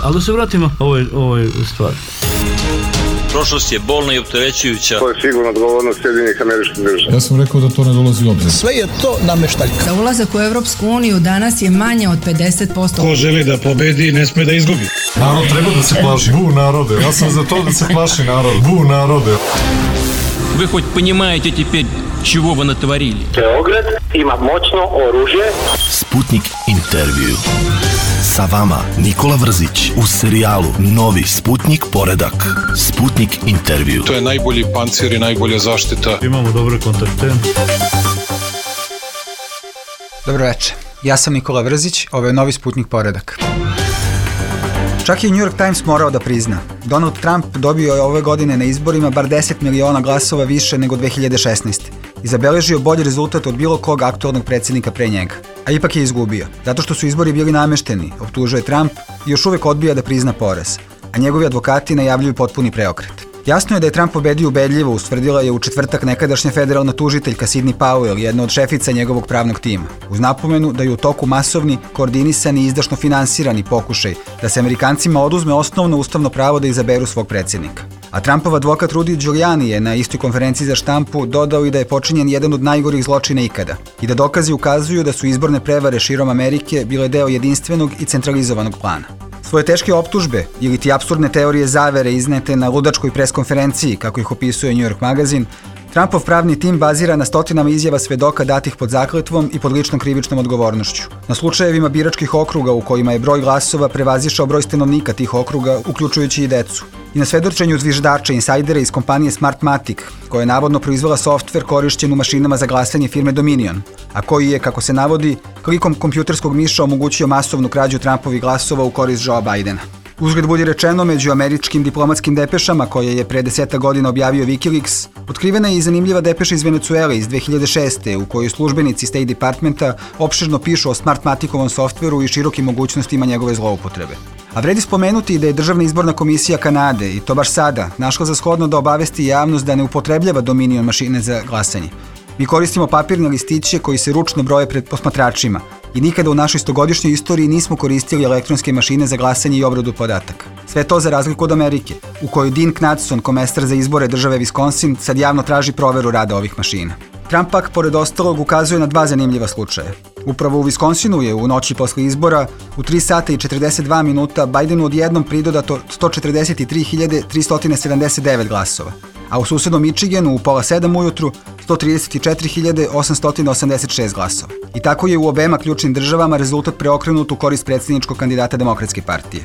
Ali da se vratimo ovoj stvari. Prošlost je bolna i opterećujuća. To je sigurno odgovornost Sjedinjenih Američkih Država. Ja sam rekao da to ne dolazi u obzir. Sve je to nameštaljka. Za ulazak u Evropsku uniju danas je manje od 50%. Ko želi da pobedi, ne sme da izgubi. Narod treba da se plaši. Bu narode. Ja sam za to da se plaši narod. Bu narode. Вы хоть понимаете теперь, чего вы натворили? Beograd ima moćno oružje. Sputnik intervju. Sa vama Nikola Vrzić u serijalu Novi Sputnik poredak. Sputnik intervju. To je najbolji pancir i najbolja zaštita. Imamo dobre kontakte. Dobro večer. Ja sam Nikola Vrzić, ovo je Novi Sputnik poredak. Čak i New York Times morao da prizna. Donald Trump dobio je ove godine na izborima bar 10 miliona glasova više nego 2016. I zabeležio bolji rezultat od bilo kog aktualnog predsjednika pre njega. A ipak je izgubio, zato što su izbori bili namešteni, optužuje Trump i još uvek odbija da prizna poraz. A njegovi advokati najavljuju potpuni preokret. Jasno je da je Trump pobedio ubedljivo, ustvrdila je u četvrtak nekadašnja federalna tužiteljka Sidney Powell, jedna od šefica njegovog pravnog tima, uz napomenu da je u toku masovni, koordinisani i izdašno finansirani pokušaj da se Amerikancima oduzme osnovno ustavno pravo da izaberu svog predsjednika. A Trumpov advokat Rudy Giuliani je na istoj konferenciji za štampu dodao i da je počinjen jedan od najgorih zločina ikada i da dokazi ukazuju da su izborne prevare širom Amerike bile deo jedinstvenog i centralizovanog plana. Svoje teške optužbe ili ti apsurdne teorije zavere iznete na ludačkoj preskonferenciji, kako ih opisuje New York magazin, Trumpov pravni tim bazira na stotinama izjava svedoka datih pod zakletvom i pod ličnom krivičnom odgovornošću. Na slučajevima biračkih okruga u kojima je broj glasova prevazišao broj stanovnika tih okruga, uključujući i decu. I na svedočenju zviždača insajdera iz kompanije Smartmatic, koja je navodno proizvela softver korišćen u mašinama za glasanje firme Dominion, a koji je, kako se navodi, klikom kompjuterskog miša omogućio masovnu krađu Trumpovih glasova u korist Joea Bidena. Uzgled budi rečeno, među američkim diplomatskim depešama koje je pre 10 godina objavio Wikileaks, otkrivena je i zanimljiva depeša iz Venecuele iz 2006. u kojoj službenici State Departmenta opširno pišu o Smartmaticovom softveru i širokim mogućnostima njegove zloupotrebe. A vredi spomenuti da je Državna izborna komisija Kanade, i to baš sada, našla za shodno da obavesti javnost da ne upotrebljava Dominion mašine za glasanje. Mi koristimo papirne listiće koji se ručno broje pred posmatračima i nikada u našoj 100-godišnjoj istoriji nismo koristili elektronske mašine za glasanje i obradu podataka. Sve to za razliku od Amerike, u kojoj Dean Knudson, komesar za izbore države Wisconsin, sad javno traži proveru rada ovih mašina. Trump pak, pored ostalog, ukazuje na dva zanimljiva slučaja. Upravo u Wisconsinu je u noći posle izbora u 3 sata i 42 minuta Bidenu odjednom pridodato 143.379 glasova, a u susednom Michiganu u pola 7 ujutru 134.886 glasova. I tako je u obema ključnim državama rezultat preokrenut u korist predsjedničkog kandidata Demokratske partije.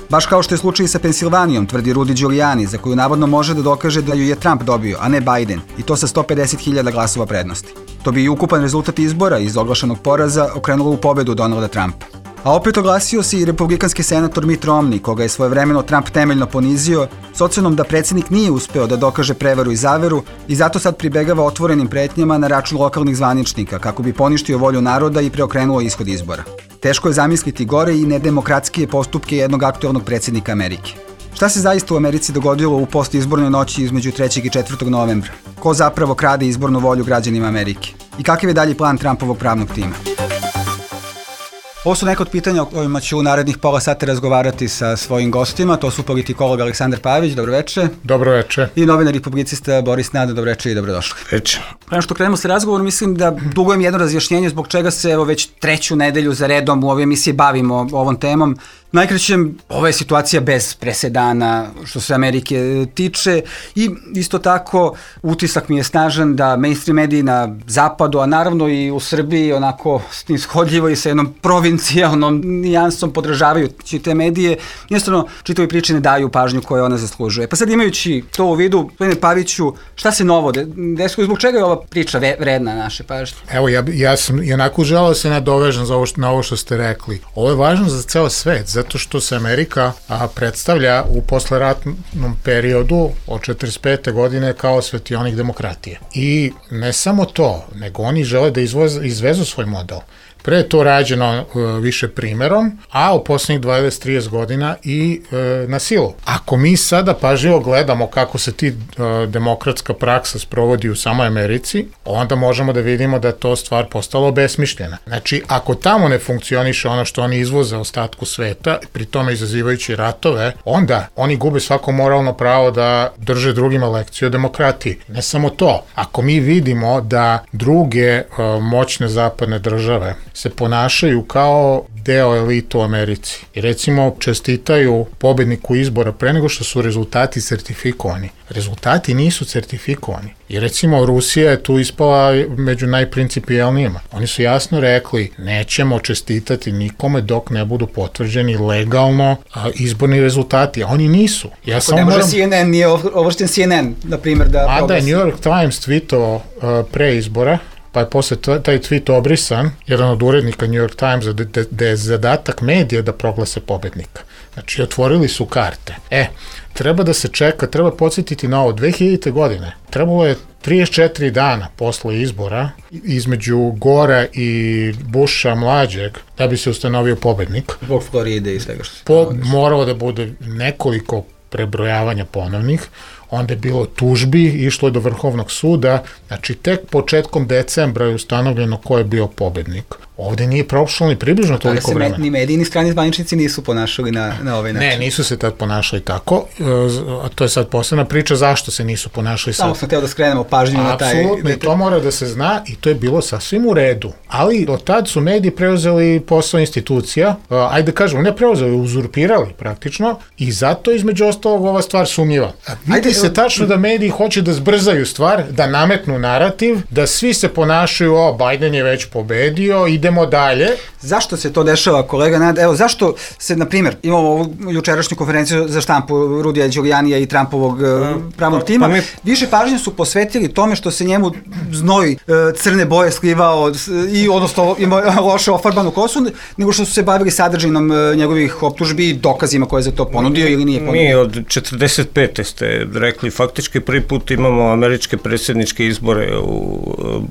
Baš kao što je slučaj sa Pensilvanijom, tvrdi Rudy Giuliani, za koju navodno može da dokaže da ju je Trump dobio, a ne Biden, i to sa 150.000 glasova prednosti. To bi i ukupan rezultat izbora iz oglašenog poraza okrenulo u pobedu Donalda Trumpa. A opet oglasio se i republikanski senator Mitt Romney, koga je svojevremeno Trump temeljno ponizio, s ocenom da predsjednik nije uspeo da dokaže prevaru i zaveru i zato sad pribegava otvorenim pretnjama na račun lokalnih zvaničnika, kako bi poništio volju naroda i preokrenuo ishod izbora. Teško je zamisliti gore i nedemokratskije postupke jednog aktualnog predsjednika Amerike. Šta se zaista u Americi dogodilo u postizbornoj noći između 3. i 4. novembra? Ko zapravo krade izbornu volju građanima Amerike? I kakav je dalji plan Trumpovog pravnog tima? Ovo su neka od pitanja o kojima ću u narednih pola sata razgovarati sa svojim gostima. To su politikolog Aleksandar Pavić, dobroveče. Dobroveče. I novinar i publicista Boris Nada, dobroveče i dobrodošli. Veče. Prema što krenemo sa razgovorom, mislim da dugujem jedno razjašnjenje zbog čega se evo već 3. nedelju za redom u ovoj emisiji bavimo ovom temom. Najkraćem, ova je situacija bez presedana što se Amerike tiče i isto tako utisak mi je snažan da mainstream mediji na zapadu, a naravno i u Srbiji onako snishodljivo i sa jednom provincijalnom nijansom podražavajući te medije, jednostavno čitavi priče ne daju pažnju koju ona zaslužuje. Pa sad imajući to u vidu, gospodine Paviću, šta se novo desilo i zbog čega je ova priča vredna naše pažnje? Evo, ja sam i onako želeo se nadovežem na ovo što ste rekli. Ovo je važno za ceo svet, zato što se Amerika predstavlja u posleratnom periodu od 45. godine kao svetionik demokratije. I ne samo to, nego oni žele da izvezu svoj model. Pre je to rađeno više primerom, a u poslednjih 20-30 godina i na silu. Ako mi sada pažljivo gledamo kako se ti demokratska praksa sprovodi u samoj Americi, onda možemo da vidimo da je to stvar postala obesmišljena. Znači, ako tamo ne funkcioniše ono što oni izvoze ostatku sveta, pri tome izazivajući ratove, onda oni gube svako moralno pravo da drže drugima lekciju o demokratiji. Ne samo to, ako mi vidimo da druge moćne zapadne države se ponašaju kao deo elita u Americi i recimo čestitaju pobedniku izbora pre nego što su rezultati sertifikovani. Rezultati nisu sertifikovani. I recimo Rusija je tu ispala među najprincipijalnijima. Oni su jasno rekli nećemo čestitati nikome dok ne budu potvrđeni legalno izborni rezultati, a oni nisu. Ja ako ne može CNN, nije ovlašten CNN, na primjer, da proglasi. Mada je New York Times tweetovao pre izbora, pa je posle taj tweet obrisan, jedan od urednika New York Timesa, da je zadatak medija da proglase pobednika. Znači, otvorili su karte. Treba da se čeka, treba podsjetiti na ovo, 2000. godine, trebalo je 34 dana posle izbora između Gora i Busha mlađeg da bi se ustanovio pobednik. Zbog Floride i svega što se moralo da bude nekoliko prebrojavanja ponovnih, onda je bilo tužbi, išlo je do Vrhovnog suda, znači tek početkom decembra je ustanovljeno ko je bio pobednik. Ovde nije prošlo ni približno toliko vremena. Ni mediji, ni strani zvaničnici nisu ponašali na ovaj način. Ne, nisu se tad ponašali tako, a to je sad posebna priča zašto se nisu ponašali sad. Samo sam hteo da skrenemo pažnju na taj... Apsolutno, i to mora da se zna i to je bilo sasvim u redu. Ali do tad su mediji preuzeli posao institucija, ajde kažemo, ne preuzeli, uzurpirali praktično i zato između ostalog ova stvar sumnjiva. Vidi se tačno da mediji hoće da zbrzaju stvar, da nametnu narativ, da svi se ponašaju, Biden je već pobedio, idemo dalje. Zašto se to dešava, kolega Nad? Evo, zašto se, na primjer, imamo ovu jučerašnju konferenciju za štampu Rudija Đulijanija i Trumpovog pravnog tima, više pažnje su posvetili tome što se njemu znoj crne boje slivao i odnosno ima loše ofarbanu kosu, nego što su se bavili sadržinom njegovih optužbi i dokazima koje je za to ponudio ili nije ponudio. Mi od 45. ste rekli, faktički prvi put imamo američke predsjedničke izbore.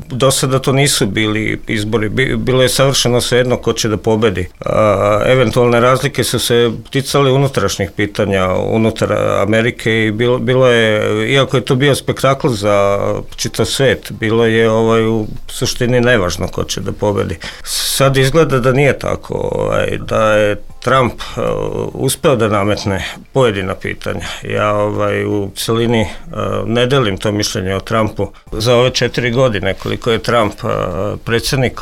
Do sada to nisu bili izbori, bilo je savršeno svejedno ko će da pobedi. Eventualne razlike su se ticale unutrašnjih pitanja unutar Amerike i bilo je, iako je to bio spektakl za čitav svet, bilo je u suštini nevažno ko će da pobedi. Sad izgleda da nije tako, da je Trump uspeo da nametne pojedina pitanja. Ja u celini ne delim to mišljenje o Trumpu. Za ove 4 godine koliko je Trump predsjednik,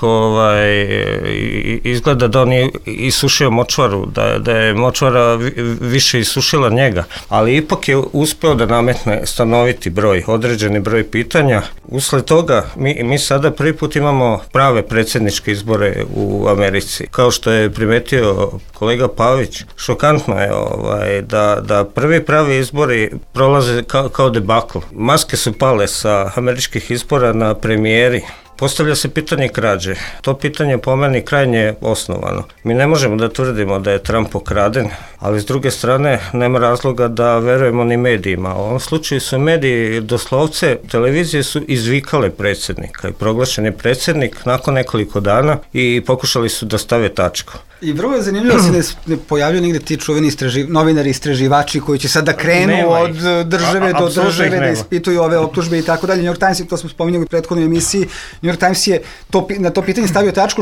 izgleda da on je isušio močvaru, da je močvara više isušila njega, ali ipak je uspeo da nametne stanoviti broj, određeni broj pitanja. Usled toga mi sada prvi put imamo prave predsjedničke izbore u Americi. Kao što je primetio kolega Pavić, šokantno je da prvi pravi izbori prolaze kao debakl. Maske su pale sa američkih izbora na premijeri. Postavlja se pitanje krađe. To pitanje po meni krajnje osnovano. Mi ne možemo da tvrdimo da je Trump pokraden, ali s druge strane nema razloga da verujemo ni medijima. U ovom slučaju su mediji doslovce, televizije su izvikale predsjednika i proglašen je predsjednik nakon nekoliko dana i pokušali su da stave tačku. I vrlo je zanimljivo da se ne pojavljaju negde ti čuveni novinari, istraživači koji će sad da krenu od države do države, da ispituju ove optužbe i tako dalje. New York Times, to smo spominjali u prethodnoj emisiji, New York Times je na to pitanje stavio tačku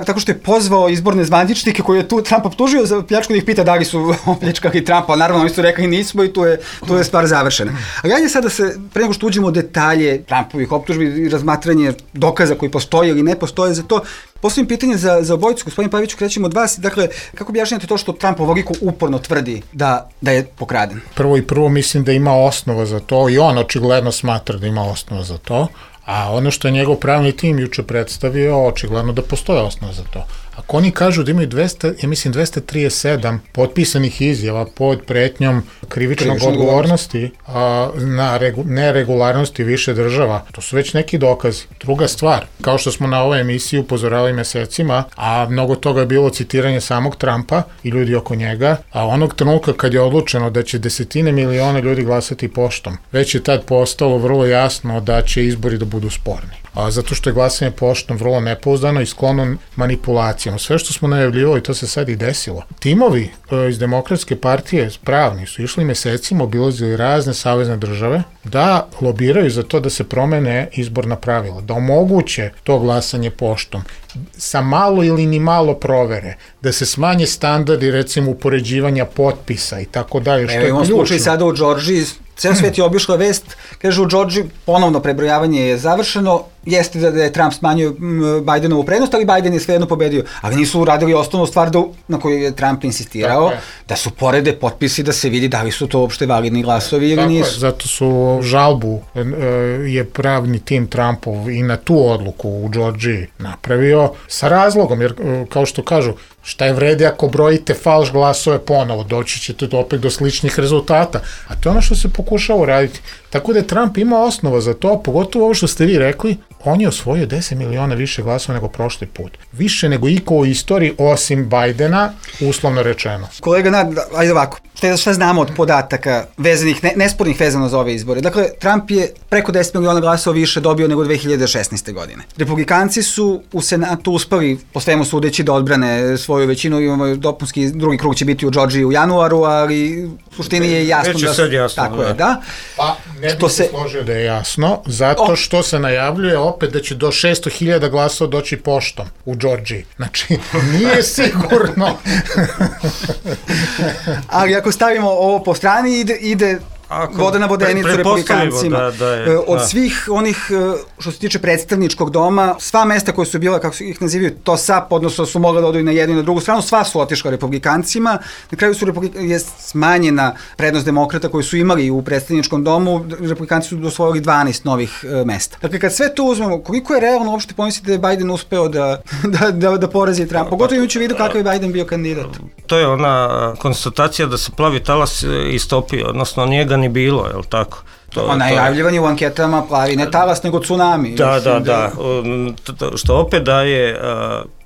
tako što je pozvao izborne zvaničnike koji je tu Trump optužio za pljačku, da ih pita da li su opljačkali Trumpa, naravno oni su rekli nismo i tu je stvar završena. Ali ajde sad da se, pre nego što uđemo u detalje Trumpovih optužbi i razmatranje dokaza koji postoje ili ne postoje za to, postavim pitanje za obojicu, gospodin Paviću, krećemo od vas. Dakle, kako objašnjate to što Trump ovoliko uporno tvrdi da je pokraden? Prvo mislim da ima osnova za to i on očigledno smatra da ima osnova za to, a ono što je njegov pravni tim juče predstavio, očigledno da postoje osnova za to. Ako oni kažu da imaju 237 potpisanih izjava pod pretnjom krivičnog odgovornosti na neregularnosti više država, to su već neki dokazi. Druga stvar, kao što smo na ovoj emisiji upozoravali mesecima, a mnogo toga je bilo citiranje samog Trumpa i ljudi oko njega, a onog trenutka kad je odlučeno da će desetine miliona ljudi glasati poštom, već je tad postalo vrlo jasno da će izbori da budu sporni. Zato što je glasanje poštom vrlo nepouzdano i sklono manipulacijama. Sve što smo najavljivali, to se sad i desilo. Timovi iz Demokratske partije pravni su išli mesecima, obilazili razne savezne države da lobiraju za to da se promene izborna pravila, da omoguće to glasanje poštom sa malo ili ni malo provere, da se smanje standardi, recimo upoređivanja potpisa i tako dalje, što je ključno. Imamo slučaj sada u Džordžiji, ceo svet je obišla vest, kaže u Džordžiji ponovno prebrojavanje je završeno, jeste da je Trump smanjio Bajdenovu prednost, ali Bajden je svejedno pobedio, ali nisu uradili osnovnu stvar na koju je Trump insistirao, da su porede potpisi da se vidi da li su to uopšte validni glasovi ili nisu. Zato su žalbu je pravni tim Trumpov i na tu odluku u Džordžiji napravio sa razlogom, jer kao što kažu, šta je vredi ako brojite falš glasove ponovo, doći ćete opet do sličnih rezultata, a to je ono što se pokušava uraditi. Tako da je Trump imao osnova za to, pogotovo ovo što ste vi rekli, on je osvojio 10 miliona više glasova nego prošli put. Više nego iko u istoriji, osim Bajdena, uslovno rečeno. Kolega, ajde ovako, šta znamo od podataka vezanih, nespornih vezano za ove izbore? Dakle, Trump je preko 10 miliona glasova više dobio nego 2016. godine. Republikanci su u Senatu uspeli, po svemu sudeći, da odbrane svoju većinu, imamo dopunski, drugi krug će biti u Džordžiji u januaru, ali u suštini je jasno da... Već je sad jasno, tako je, da. Pa, ne bih se složio da je jasno, zato što se najavljuje opet da će do 600.000 glasova doći poštom u Džordžiji. Znači, nije sigurno. Ali ako stavimo ovo po strani, ide voda na vodenicu republikancima. Od svih onih, što se tiče predstavničkog doma, sva mesta koje su bila, kako ih nazivaju, to SAP, odnosno su mogli da odu i na jednu i na drugu stranu, sva su otišla republikancima. Na kraju je smanjena prednost demokrata koji su imali u predstavničkom domu, republikanci su osvojili 12 novih mesta. Dakle, kad sve to uzmemo, koliko je realno uopšte pomisliti da je Biden uspeo da porazi Trump? Pogotovo imajući u vidu kakav je Biden bio kandidat. To je ona konstatacija da se plavi talas istopio, odnosno njega ni bilo, je li tako? Najavljivan je u anketama plavi, ne talas, nego tsunami. Da. Što opet daje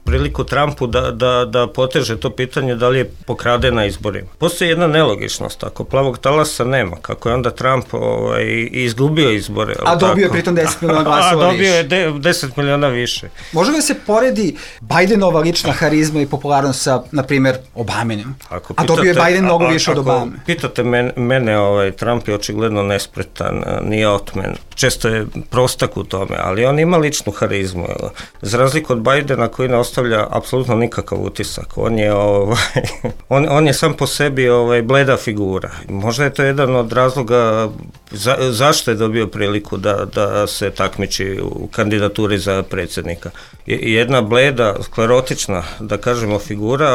priliku Trumpu da poteže to pitanje da li je pokraden na izborima. Postoji jedna nelogičnost, ako plavog talasa nema, kako je onda Trump izgubio izbore. A dobio je pritom 10 miliona glasova više. A dobio je 10 miliona više. Može li se poredi Bajdenova lična harizma i popularnost sa, na primjer, Obaminim? A dobio je Biden mnogo više od Obame. Pitate mene, Trump je očigledno nespretan, nije otmen. Često je prostak u tome, ali on ima ličnu harizmu. Za razliku od Bajdena koji ne ostavlja apsolutno nikakav utisak. On je sam po sebi bleda figura. Možda je to jedan od razloga zašto je dobio priliku da se takmiči u kandidaturi za predsjednika. Jedna bleda, sklerotična, da kažemo, figura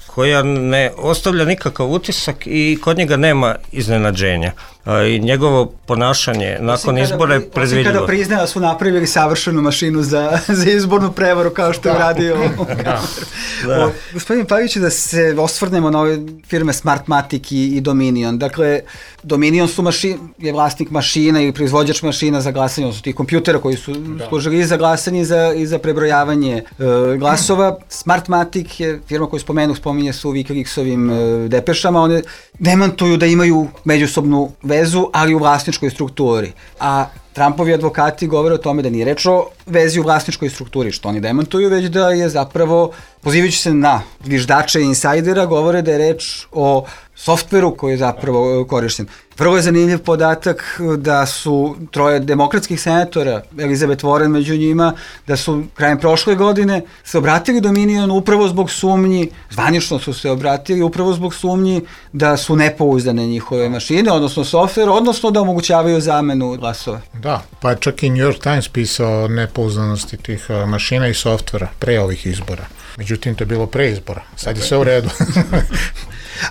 koja ne ostavlja nikakav utisak i kod njega nema iznenađenja. I njegovo ponašanje nakon izbora je predvidljivo. Osim kada priznaje da su napravili savršenu mašinu za izbornu prevaru kao što je uradio. Gospodin Pavić, da se osvrnemo na ove firme Smartmatic i Dominion. Dakle, Dominion je vlasnik mašina i proizvođač mašina za glasanje, odnosno tih kompjutera koji su služili i za glasanje i za prebrojavanje glasova. Smartmatic je firma koju spominje se u Wikileaksovim depešama. One demantuju da imaju međusobnu vezu, ali u vlasničkoj strukturi. A Trumpovi advokati govore o tome da nije reč o vezi u vlasničkoj strukturi, što oni demantuju, već da je zapravo, pozivajući se na zviždače i insajdera, govore da je reč o softveru koji je zapravo korišten. Vrlo je zanimljiv podatak da su troje demokratskih senatora, Elizabeth Warren među njima, da su krajem prošle godine se obratili Dominionu upravo zbog sumnji, zvanično su se obratili upravo zbog sumnji da su nepouzdane njihove mašine, odnosno softver, odnosno da omogućavaju zamenu glasova. Da, pa čak i New York Times pisao o nepouzdanosti tih mašina i softvera pre ovih izbora. Međutim, to je bilo pre izbora. Sad je sve u redu.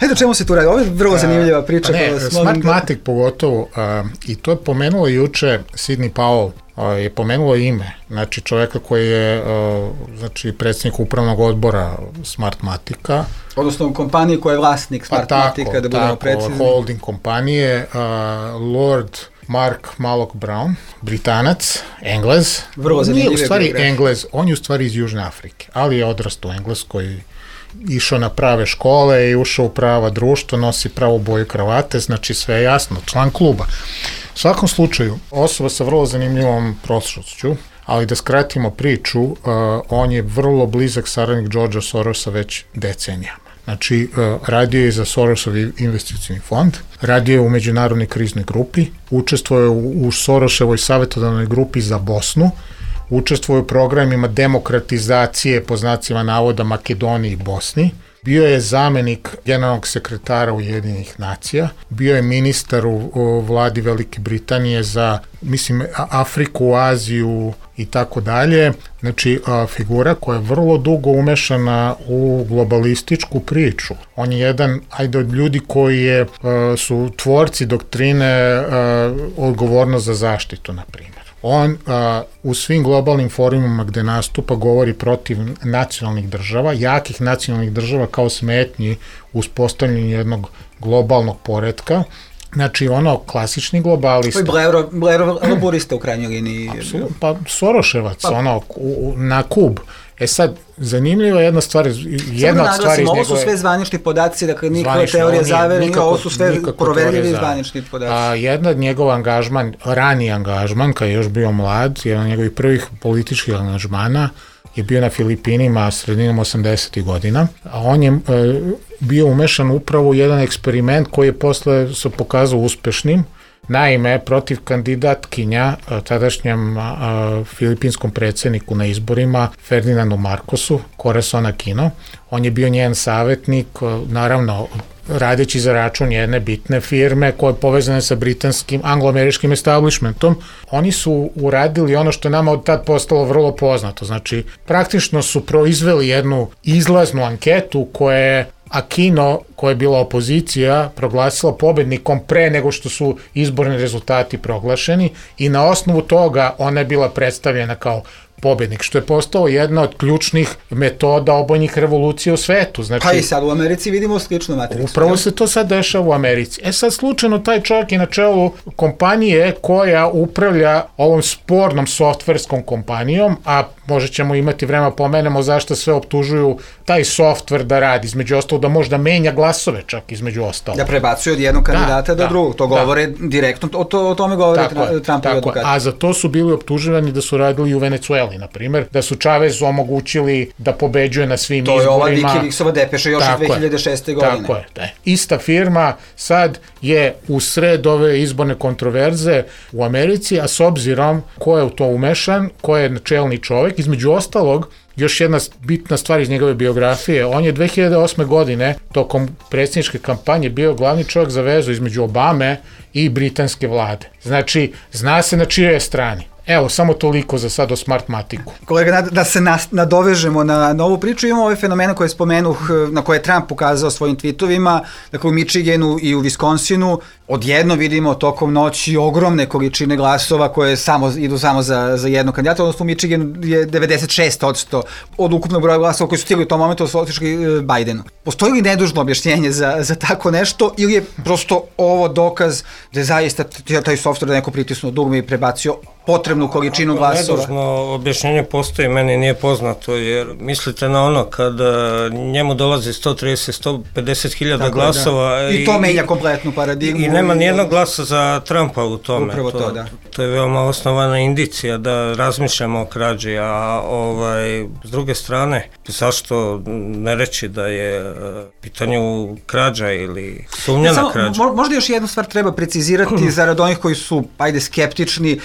Ajde, o čemu se tu radi? Ovo je vrlo zanimljiva priča. Smartmatic pogotovo, i to je pomenulo juče Sidney Powell, je pomenulo ime, znači čoveka koji je znači predsjednik upravnog odbora Smartmatica. Odnosno kompanije koja je vlasnik Smartmatica, da budemo precizni. Holding kompanije, Lord Mark Malloch Brown, Britanac, Englez. Vrlo zanimljive u stvari Englez, on je u stvari iz Južne Afrike, ali je odrastao u Engleskoj, išao na prave škole i ušao u prava društva, nosi pravu boju kravate, znači sve je jasno, član kluba. U svakom slučaju, osoba sa vrlo zanimljivom prošlošću, ali da skratimo priču, on je vrlo blizak saradnik Georgea Sorosa već decenijama. Znači, radio je za Sorosov investicioni fond, radio je u međunarodnoj kriznoj grupi, učestvuje u Sorosevoj savjetodavnoj grupi za Bosnu, učestvuje u programima demokratizacije, po znacima navoda, Makedoniji i Bosni, bio je zamenik generalnog sekretara Ujedinjenih nacija, bio je ministar u vladi Velike Britanije za, mislim, Afriku, Aziju i tako dalje. Znači, figura koja je vrlo dugo umešana u globalističku priču. On je jedan, od ljudi koji su tvorci doktrine odgovornost za zaštitu, na primjer. On u svim globalnim forumima gde nastupa govori protiv nacionalnih država, jakih nacionalnih država kao smetnji u uspostavljanju jednog globalnog poretka. Znači, klasični globalista. To je Blairov laborista u krajnjoj liniji. Pa Soroševac, na Kub. Sad, zanimljiva je jedna stvar, ovo su sve zvanični podaci, dakle nikakva teorija zavere, ovo su sve proverljivi zvanični podaci. Jedna od njegov angažman, rani angažman, kad je još bio mlad, jedan od njegovih prvih političkih angažmana je bio na Filipinima sredinom 80. godina, a on je bio umešan upravo u jedan eksperiment koji je posle se pokazao uspešnim. Naime, protiv kandidatkinja, tadašnjem filipinskom predsjedniku na izborima, Ferdinandu Marcosu, Corazon Aquino, on je bio njen savjetnik, naravno, radeći za račun jedne bitne firme koje je povezane sa britanskim, anglo-američkim establishmentom. Oni su uradili ono što je nama od tad postalo vrlo poznato. Znači, praktično su proizveli jednu izlaznu anketu koja je Aquino, koja je bila opozicija, proglasila pobednikom pre nego što su izborni rezultati proglašeni i na osnovu toga ona je bila predstavljena kao pobednik, što je postao jedna od ključnih metoda obojnih revolucija u svetu. Znači, pa i sad u Americi vidimo sličnu matricu. Upravo se to sad dešava u Americi. Sad slučajno taj čovjek je na čelu kompanije koja upravlja ovom spornom softverskom kompanijom, a možda ćemo imati vremena pomenemo zašto sve optužuju taj softver da radi, između ostalo da možda menja glasove čak između ostalo. Da prebacuje od jednog kandidata do drugog. To govore direktno, o tome govore Trumpovi advokati. A za to su bili optuživani da su radili u Venecueli, na primjer, da su Chavezu omogućili da pobeđuje na svim izborima. To je ova Wikileaksova depeša još od 2006. godine. Tako je, da. Ista firma sad je u sred ove izborne kontroverze u Americi, a s obzirom ko je u to umešan, ko je čelni čovjek, između ostalog, još jedna bitna stvar iz njegove biografije, on je 2008. godine tokom predsjedničke kampanje bio glavni čovjek za vezu između Obame i britanske vlade. Znači, zna se na čijoj je strani. Evo, samo toliko za sad o Smartmatiku. Kolega, da se nadovežemo na ovu priču, imamo ove fenomene koje spomenuh, na koje je Trump ukazao svojim tweetovima, dakle u Michiganu i u Wisconsinu, odjedno vidimo tokom noći ogromne količine glasova koje idu samo za jednog kandidata, odnosno u Michiganu je 96% od ukupnog broja glasova koji su stigli u tom momentu otišli Bidenu. Postoji li nedužno objašnjenje za tako nešto ili je prosto ovo dokaz da je zaista taj softver neko pritisnuo dugme i prebacio potrebnu količinu glasova? Nedužno objašnjenje postoji, meni nije poznato, jer mislite na ono kada njemu dolazi 130-150 hiljada glasova i to menja kompletnu paradigmu. I nema nijednog glasa za Trumpa u tome. Upravo to, da. To je veoma osnovana indicija da razmišljamo o krađi, a s druge strane, zašto ne reći da je pitanju krađa ili sumnja na krađu? Možda još jednu stvar treba precizirati zarad onih koji su, skeptični.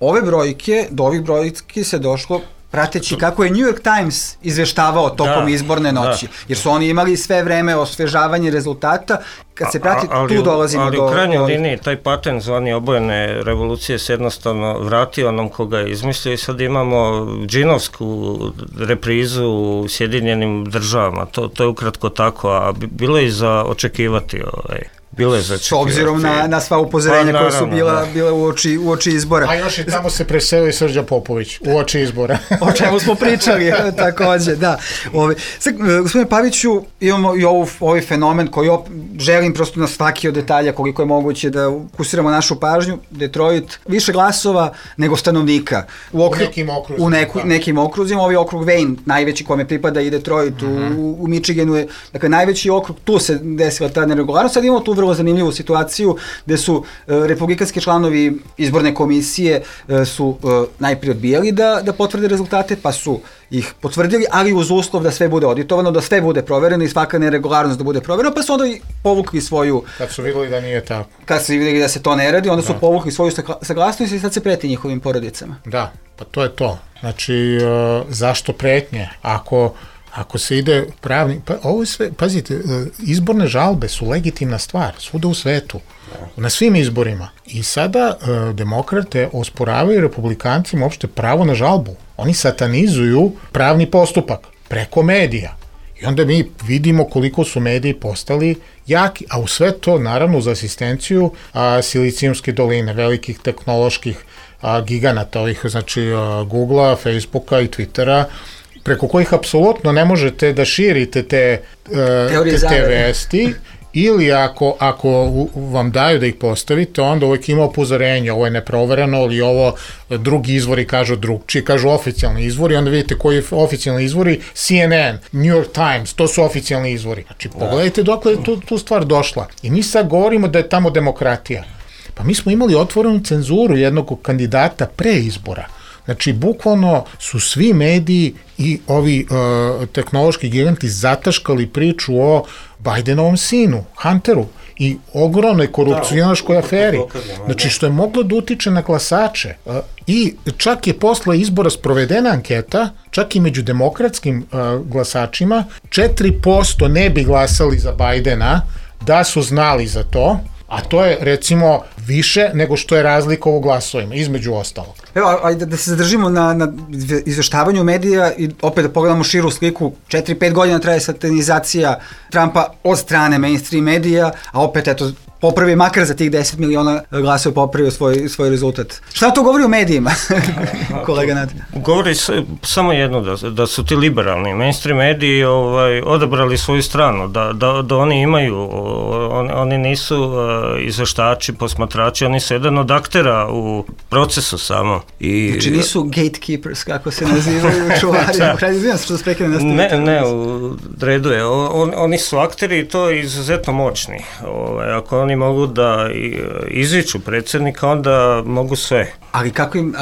Ove brojke, do ovih brojki se došlo prateći kako je New York Times izveštavao tokom izborne noći, jer su oni imali sve vreme osvežavanje rezultata, kad se prati, tu dolazimo do... Ali u krajnjoj liniji, taj patent zvani obojene revolucije se jednostavno vratio onom koga je izmislio i sad imamo džinovsku reprizu u Sjedinjenim državama, to je ukratko tako, a bilo je za očekivati S obzirom na sva upozorenja koja su bile u oči izbora. A još i tamo se preselio Srđa Popović u oči izbora. O čemu smo pričali takođe, da. Gospodine Paviću, imamo i ovaj fenomen koji želim prosto na svaki od detalja koliko je moguće da ukusiramo našu pažnju. Detroit više glasova nego stanovnika. U nekim okruzima. U nekim okruzima. Ovaj okrug Wayne, najveći kome pripada i Detroit u Michiganu je, dakle, najveći okrug, tu se desila ta neregularnost. Sad imamo tu vrlo zanimljivu situaciju gde su republikanski članovi izborne komisije su najprije odbijali da potvrde rezultate, pa su ih potvrdili, ali uz uslov da sve bude auditovano, da sve bude provereno i svaka neregularnost da bude proverena, pa su onda i povukli svoju... Kad su vidjeli da nije tako. Kad su vidjeli da se to ne radi, onda su povukli svoju saglasnost i sad se preti njihovim porodicama. Da, pa to je to. Znači, zašto pretnje? Ako se ide pravni... Pa ovo je sve, pazite, izborne žalbe su legitimna stvar, svuda u svetu, na svim izborima. I sada demokrate osporavaju republikancima uopšte pravo na žalbu. Oni satanizuju pravni postupak preko medija. I onda mi vidimo koliko su mediji postali jaki, a u sve to, naravno, uz asistenciju Silicijumske doline, velikih tehnoloških giganata, ovih, znači, Googlea, Facebooka i Twittera, preko kojih apsolutno ne možete da širite te vesti, ili ako vam daju da ih postavite, onda uvijek ima upozorenje, ovo je neprovereno, ili ovo drugi izvori kažu drugčije, kažu oficijalni izvori, onda vidite koji je oficijalni izvori, CNN, New York Times, to su oficijalni izvori. Znači, pogledajte dokle je tu stvar došla. I mi sad govorimo da je tamo demokratija. Pa mi smo imali otvorenu cenzuru jednog kandidata pre izbora. Znači, bukvalno su svi mediji i ovi tehnološki giganti zataškali priču o Bidenovom sinu, Hunteru, i ogromnoj korupcionaškoj aferi. Znači, što je moglo da utiče na glasače. I čak je posle izbora sprovedena anketa, čak i među demokratskim glasačima, 4% ne bi glasali za Bidena da su znali za to, a to je, recimo, više nego što je razlika u glasovima, između ostalog. Evo, ajde da se zadržimo na izveštavanju medija i opet da pogledamo širu sliku. 4-5 godina traje satanizacija Trumpa od strane mainstream medija, a opet, eto, popravi makar za tih 10 miliona glasova popravio svoj rezultat. Šta to govori o medijima, kolega Nat? Govori samo jedno, da su ti liberalni mainstream mediji odabrali svoju stranu, da oni imaju, oni nisu izveštači, posmatrači, oni su jedan od aktera u procesu samo. Znači nisu gatekeepers, kako se nazivaju čuvari. Izvijem se što se prekine nastaviti. Ne, u redu je. Oni su akteri i to izuzetno moćni. Ako oni mogu da izviču predsjednika, onda mogu sve. Ali kako im,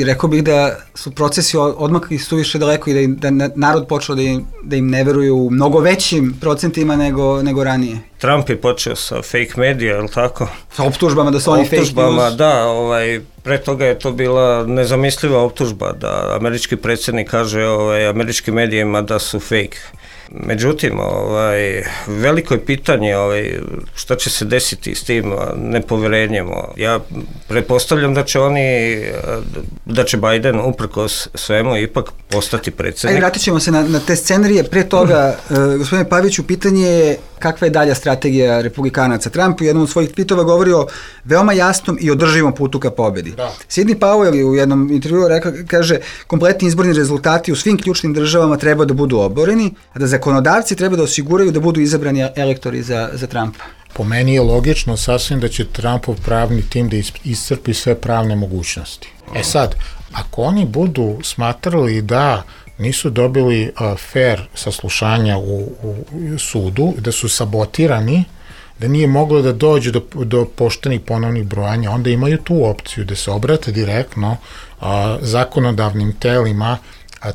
rekao bih da su procesi odmakli suviše daleko i da narod počeo da im ne veruju u mnogo većim procentima nego ranije. Trump je počeo sa fake medija, je li tako? Sa optužbama da su oni fake news. Da, pre toga je to bila nezamisliva optužba da američki predsjednik kaže američkim medijima da su fake. Međutim, veliko je pitanje šta će se desiti s tim nepoverenjem. Ja pretpostavljam da će Biden uprkos svemu ipak postati predsjednik. Vratit ćemo se na te scenarije. Pre toga, gospodine Paviću, pitanje je kakva je dalja strategija republikanaca. Trump u jednom od svojih tweetova govori o veoma jasnom i održivom putu ka pobedi. Sidney Powell u jednom intervjuu kaže, kompletni izborni rezultati u svim ključnim državama treba da budu oboreni, a da zakonodavci treba da osiguraju da budu izabrani elektori za Trumpa. Po meni je logično sasvim da će Trumpov pravni tim da iscrpi sve pravne mogućnosti. Sad, ako oni budu smatrali da nisu dobili fair saslušanja u sudu, da su sabotirani, da nije moglo da dođe do poštenih ponovnih brojanja, onda imaju tu opciju da se obrate direktno zakonodavnim telima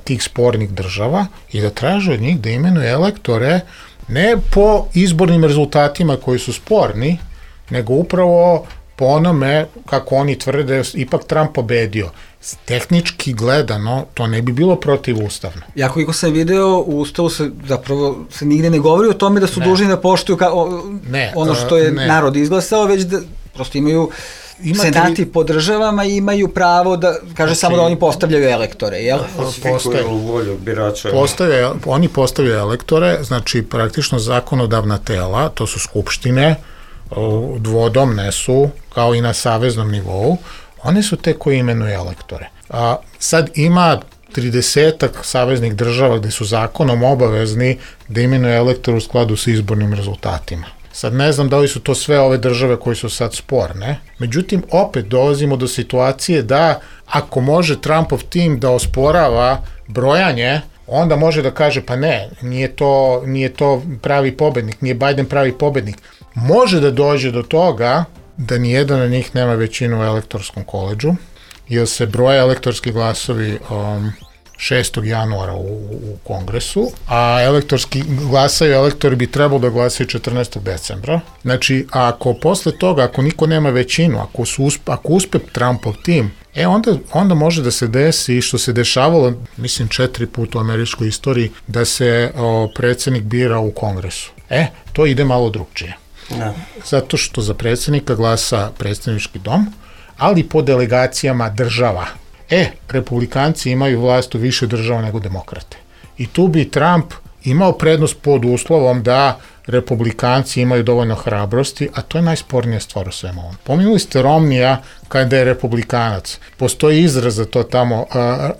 tih spornih država i da traže od njih da imenuje elektore ne po izbornim rezultatima koji su sporni, nego upravo po onome, kako oni tvrde, ipak Trump pobedio. Tehnički gledano, to ne bi bilo protivustavno. Ja koliko sam video, u Ustavu se zapravo se nigde ne govori o tome da su dužni da poštuju ono što je narod izglasao, već da prosto imaju senati po državama i imaju pravo da, kaže samo da oni postavljaju elektore, jel? Oni postavljaju elektore, znači praktično zakonodavna tela, to su skupštine, dvodomne su, kao i na saveznom nivou, one su te koji imenuju elektore. Sad ima 30 saveznih država gde su zakonom obavezni da imenuju elektore u skladu sa izbornim rezultatima. Sad ne znam da li su to sve ove države koje su sad sporne, međutim opet dolazimo do situacije da ako može Trumpov tim da osporava brojanje, onda može da kaže pa ne, nije to pravi pobednik, nije Biden pravi pobednik. Može da dođe do toga da nijedan od njih nema većinu u elektorskom koledžu, jer se broje elektorski glasovi 6. januara u kongresu, a elektori bi trebalo da glasaju 14. decembra. Znači, ako posle toga, ako niko nema većinu, ako uspe Trumpov tim, onda može da se desi što se dešavalo, mislim 4 puta u američkoj istoriji, da se predsjednik bira u kongresu. To ide malo drugčije. Zato što za predsjednika glasa predstavnički dom, ali po delegacijama država. Republikanci imaju vlast u više država nego demokrate. I tu bi Trump imao prednost pod uslovom da republikanci imaju dovoljno hrabrosti, a to je najspornija stvar u svemu ovom. Pominuli ste Romnija kada je republikanac. Postoji izraz za to tamo,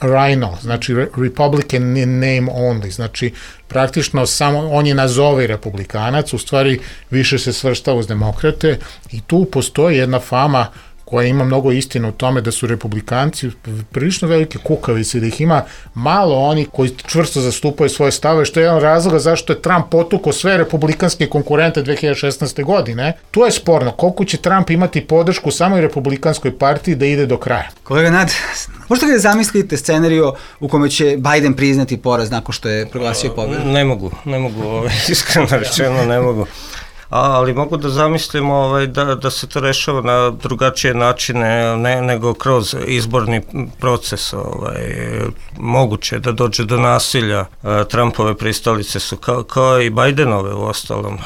rhino, znači Republican in name only, znači praktično samo on je nazovi republikanac, u stvari više se svrstava uz demokrate i tu postoji jedna fama koja ima mnogo istine u tome da su republikanci prilično velike kukavice, da ih ima malo oni koji čvrsto zastupaju svoje stave, što je jedan razloga zašto je Trump potukao sve republikanske konkurente 2016. godine. Tu je sporno koliko će Trump imati podršku u samoj republikanskoj partiji da ide do kraja. Kolega Nad, možete li da zamislite scenariju u kome će Biden priznati poraz nakon što je proglasio pobedu? Ne mogu, iskreno rečeno ne mogu. Ali mogu da zamislimo da se to rešava na drugačije načine nego kroz izborni proces. Moguće da dođe do nasilja. Trumpove pristalice su kao i Bidenove u ostalom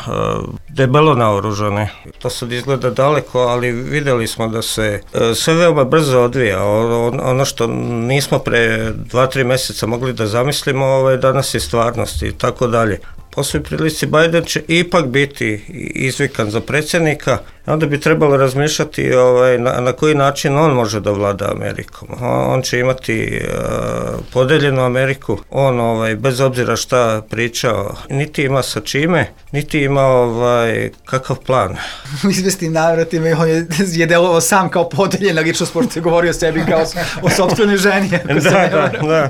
debelo naoružane. To sad izgleda daleko, ali videli smo da se sve veoma brzo odvija. Ono što nismo pre 2-3 meseca mogli da zamislimo, danas je stvarnost i tako dalje. Po svoj prilici Biden će ipak biti izvikan za predsjednika, onda bi trebalo razmišljati na koji način on može da vlada Amerikom. On će imati podeljenu Ameriku, on bez obzira šta pričao, niti ima sa čime, niti ima kakav plan. U izvestim navratima on je delovao sam kao podeljena ličnost, pošto je govorio o sebi kao o sopstvenoj ženi. Da.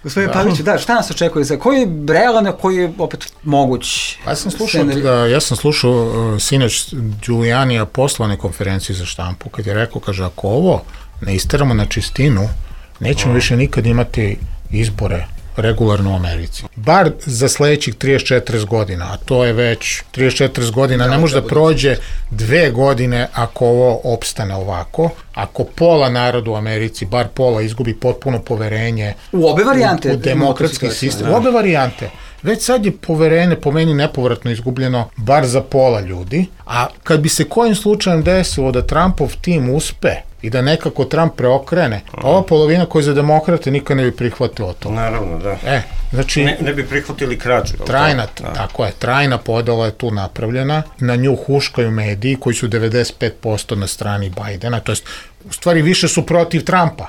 Gospodin Pavliću, šta nas očekuje? Koji je realan, a koji je opet moguć? Ja sam slušao sinoć Giulianija poslovne konferencije za štampu, kad je rekao, kaže, ako ovo ne isteramo na čistinu, nećemo više nikad imati izbore regularno u Americi. Bar za sledećih 34 godina, a to je već 34 godina, ne može da prođe 2 godine ako ovo opstane ovako. Ako pola naroda u Americi, bar pola, izgubi potpuno poverenje u obe varijante u demokratski sistem, u obe varijante. Već sad je poverenje po meni nepovratno izgubljeno bar za pola ljudi, a kad bi se kojim slučajem desilo da Trumpov tim uspe i da nekako Trump preokrene, ova polovina koja za demokrate nikad ne bi prihvatila to. Naravno, da. Znači, ne bi prihvatili krađu. Trajna podela je tu napravljena, na nju huškaju mediji koji su 95% na strani Bidena, to jest u stvari više su protiv Trumpa.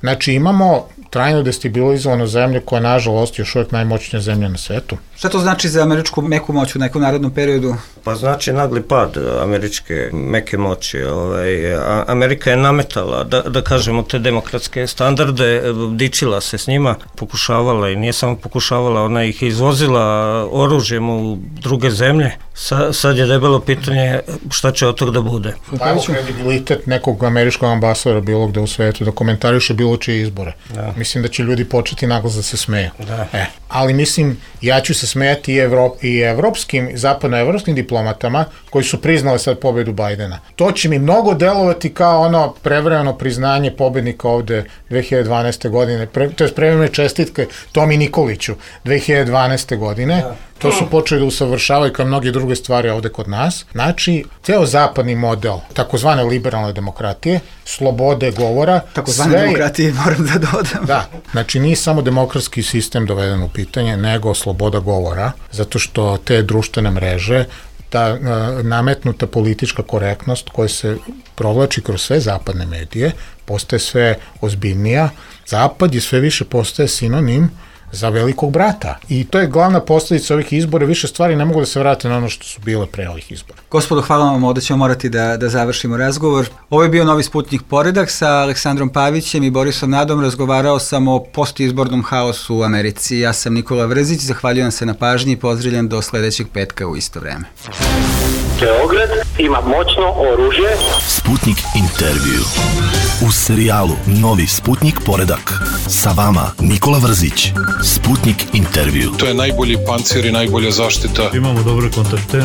Znači imamo trajno destabilizovanu zemlju koja je nažalost još uvijek najmoćnija zemlja na svetu. Šta to znači za američku meku moć u nekom narednom periodu? Pa znači nagli pad američke meke moći. Amerika je nametala, da kažemo, te demokratske standarde, dičila se s njima, pokušavala i nije samo pokušavala, ona ih izvozila oružjem u druge zemlje. Sad je debelo pitanje šta će od toga da bude. Pa evo kredibilitet nekog američkog ambasadora bilo gde u svetu da komentariše bilo čije izbore. mislim da će ljudi početi naglas da se smeju. Da. Ali mislim, ja ću se smejati i evropskim, zapadnoevropskim diplomatama koji su priznali sad pobedu Bajdena. To će mi mnogo delovati kao ono prevremeno priznanje pobednika ovde 2012. godine, to je prevremene čestitke Tomi Nikoliću 2012. godine. To su počeli da usavršavaju kao mnoge druge stvari ovde kod nas. Znači, ceo zapadni model, takozvane liberalne demokratije, slobode govora. Takozvane demokratije, moram da dodam. Da, znači nije samo demokratski sistem doveden u pitanje, nego sloboda govora, zato što te društvene mreže, ta nametnuta politička korektnost koja se provlači kroz sve zapadne medije, postaje sve ozbiljnija. Zapad je sve više postaje sinonim za velikog brata. I to je glavna posledica ovih izbora. Više stvari ne mogu da se vrate na ono što su bile pre ovih izbora. Gospodo, hvala vam, ovdje ćemo morati da završimo razgovor. Ovo je bio Novi Sputnik Poredak sa Aleksandrom Pavićem i Borisom Nadom. Razgovarao sam o postizbornom haosu u Americi. Ja sam Nikola Vrzić, zahvaljujem se na pažnji i pozdravljam do sledećeg petka u isto vreme. Beograd ima moćno oružje. Sputnik intervju. U serijalu Novi Sputnik Poredak. Sa vama Nikola Vrzić. Sputnik intervju. To je najbolji pancir i najbolja zaštita. Imamo dobre kontakte.